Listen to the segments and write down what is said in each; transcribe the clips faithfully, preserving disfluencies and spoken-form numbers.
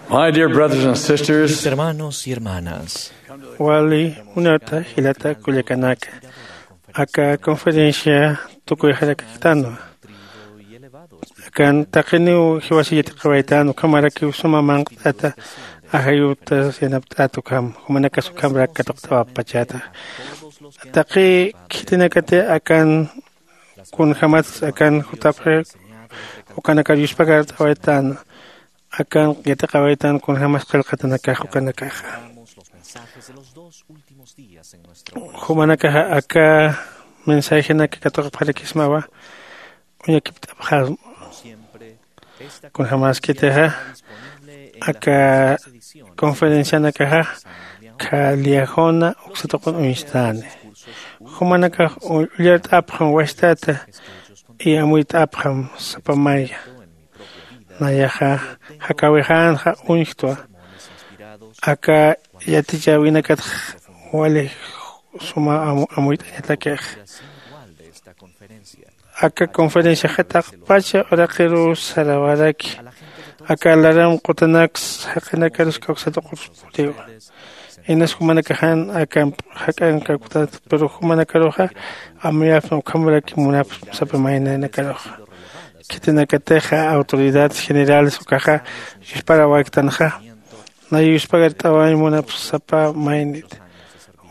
My dear brothers and sisters, mis hermanos y hermanas, wali munata jilata kullakanaka, aka conferencia tukuyxarakaktanwa. Akan taqiniw jiwasa yatiqawaytan, ukhamarakiw suma manq't'ata ajayutas yanapt'at ukham, jumanakas ukhamrak katuqt'awapachata. Taqi khitinakati akan kunjämatsa akan jutapxi ukanakar yuspagart'awaytan, akan yatiqawaytan kunjämas qillqatanakax ukanakaxa. Jumanakaxa aka mensajenaka katuqapxarakismawa. Uñakipt'apxasma. Kunjämaskitixa aka conferencianakaxa kha liyajuna uksatuqun uñstani. Jumanakax ullart'apxam wastata y amuyt'apxam sapa maya. Nayaxa jakawixänxa uñjtwa. Aka yatichäwinakatx wali suma amuyt'añatakix. Aka conferenciaxa taqpacha uraqiruw sarawaraki. Aka laram qutanaks jaqinakarus kawsatuqurus puriwa. Inas jumanakaxan akamp jak'an kawktat, pero jumanakaruxa amuyapxam ukhamarakim munapxam sapa mayninakaruxa. Khitinakatixa autoridades generales ukaxa yusparawayktänxa, nay yuspagart'awañ munapxam sapa maynit.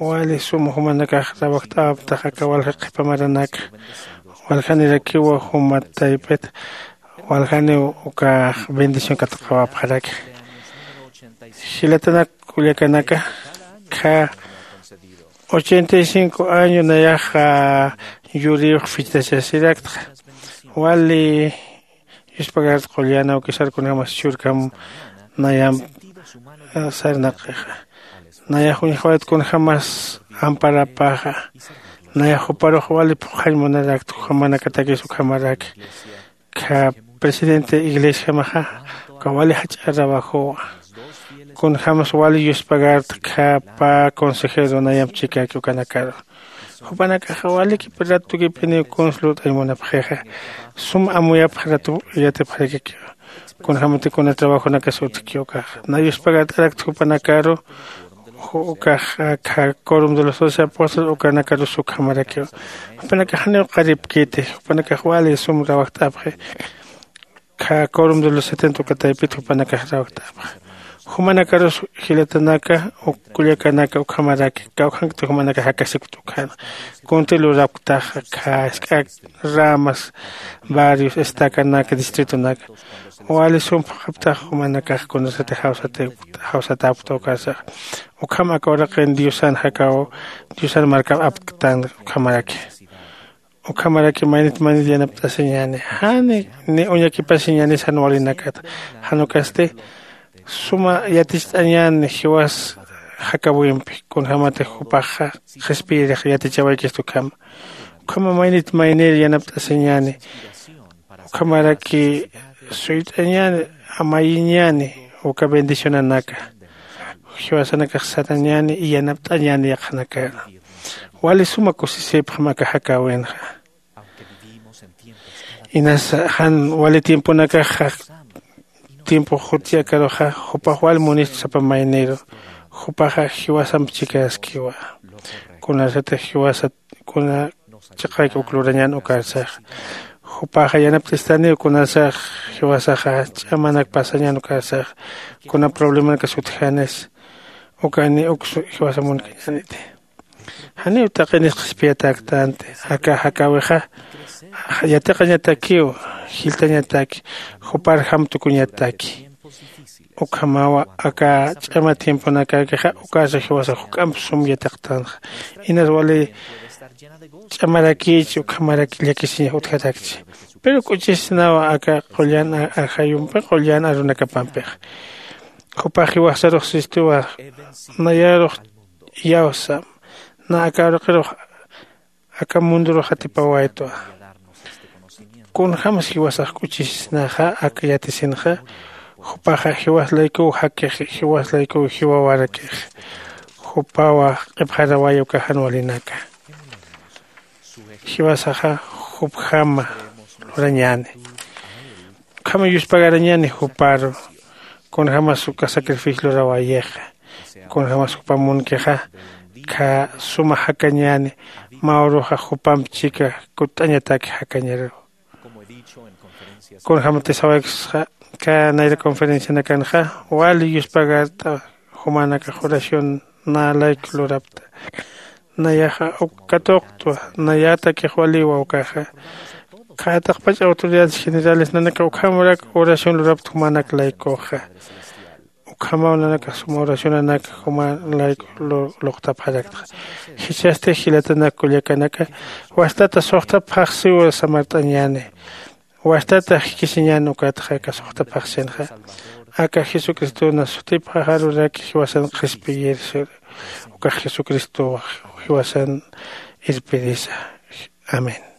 Wali sum jumanakax rawajt'awaptax aka walja qhipa maranaka. Waljanirakiwa juma taypit waljaniw ukax bendición katuqawapxaraki. Jilatanak kullakanaka, kha ochenta y cinco año nayaxa yuriyux fichtachasiraktxa. Wali yuspagart'awañ qullan awkisar kunjämas churkam nayamp sarnaqixa. Nayax uñjawayt kunjämas amparapaxa. Nayax juparux wali phuqhañ munarakt, jumanakatakis ukhamaraki. Kha presidente iglesiamaxa uka wali jach'a trabajowa. Kunjämas wali yuspagart'axa pä consejero nayamp chikaki ukanakaru. Jupanakaxa waliki ratukipiniw kuns lurt'añ munapxixa. Sum amuyapx ratu yatipxarakikiw. Kunjämati kuna trabajonakas utjki ukaxa. Nay yuspagart'arakt jupanakaru, ukax akha Quórum de los Doce Apóstoles ukanakarus ukhamarakiw. Jupanakax janiw qaripkiti, jupanakax wali sum rawajt'apxi. Kha Quórum de los Setenta uka taypit jupanakax rawajt'apxi. Jumanakarus jilatanaka, uk kullakanaka ukhamaraki, kawkhankti jumanakax jakasipkti ukhana. Kunti lurapktaxa, kha jisk'a ramas, barrios, estacanaka, distritonaka. Wali sum phuqhaptax jumanakax kunasati jawsati, jawsatäpkta ukarsax. Ukham aka uraqin Diosan jakaw, Diosan markap apktan ukhamaraki. Ukhamaraki maynit maynit yanapt'asiñäni. Jani, ni uñakipasiñäni jan walinakat. Jan ukasti, suma yaticht'añäni jiwas jakawimpi, kunjämatix jupaxa qhispiyirix yatichawaykistu ukhama. Ukhama maynit maynir yanapt'asiñäni. Ukhamaraki suyt'añäni, amayiñäni, uka bendicionanaka. Jiwasanakax satañäni, yanapt'añäni yaqhanakar. Wali suma kusisipxam aka jakäwinxa. Inas jan wali tiemponakaxa, tiempo jutchi akaruxa, jupax wal munistu sapa mayniru, jupaxa jiwasamp chikaskiwa. Kunasatix jiwasat, kuna chiqayki uk lurañän ukarsax. Jupaxa yanapt'istaniw kunasax jiwasaxa ch'amanak pasañän ukarsax, kuna problemanakas utjanis, ukani uk jiwasa munkañäniti. Janiw taqinix qhispiyatäktanti, aka jakäwixa yatiqañatakiw, jilltañataki, jupar jam tukuñataki. Ukhamawa aka ch'ama tiemponakäkixa, ukasa jiwasa juk'amp sum yatiqtanxa. Inas wali ch'amarakïchi, ukhamarak llakisiñax utjarakchi. Pero k'uchisnawa aka qullan a-, ajayumpi, qullan arunakapampixa. Jupax jiwasarux sistuwa, nayarux iyawsam, na aka uraqirux aka mundurux atipawaytwa. Kunjämsa jiwasax k'uchisisnaxa aka yatisinxa, jupaxa jiwas laykuw jakixi, jiwas laykuw jiwawarakixi. Jupawa q'ipxaraway uka jan walinaka. Jiwasaxa jupjama lurañäni. Ukhama yuspagarañäni juparu. Kunjämas uka sacrificio luräwayixa, kunjämas jupam munkixa, khä suma jakañäni. Mä uruxa jupamp chika kutt'añataki jakañaru. Kunjämatix sawayksxa, kä nayra conferencianakanxa wali yuspagart'a, jumänakax oración nä layku lurapta. Nayaxa uk katuqtwa, nayätakix waliwa ukaxa. Khä taqpach autoridades generales nanaka ukhamarak oración lurapta jumänak laykuxa. Ukhamaw nanakax suma oracionanak juman layku luqtapxarakta. Jichhasti jilatanak kullakanaka, wastata suxta phaxsiwa samart'añäni. Wastata jikisiñän ukatxa aka suxta phaxsinxa, aka jesucristona sutipxaxaruraki jiwasan qhispiyir. Ukax jesucristow jiwasan irpirisa. Amén.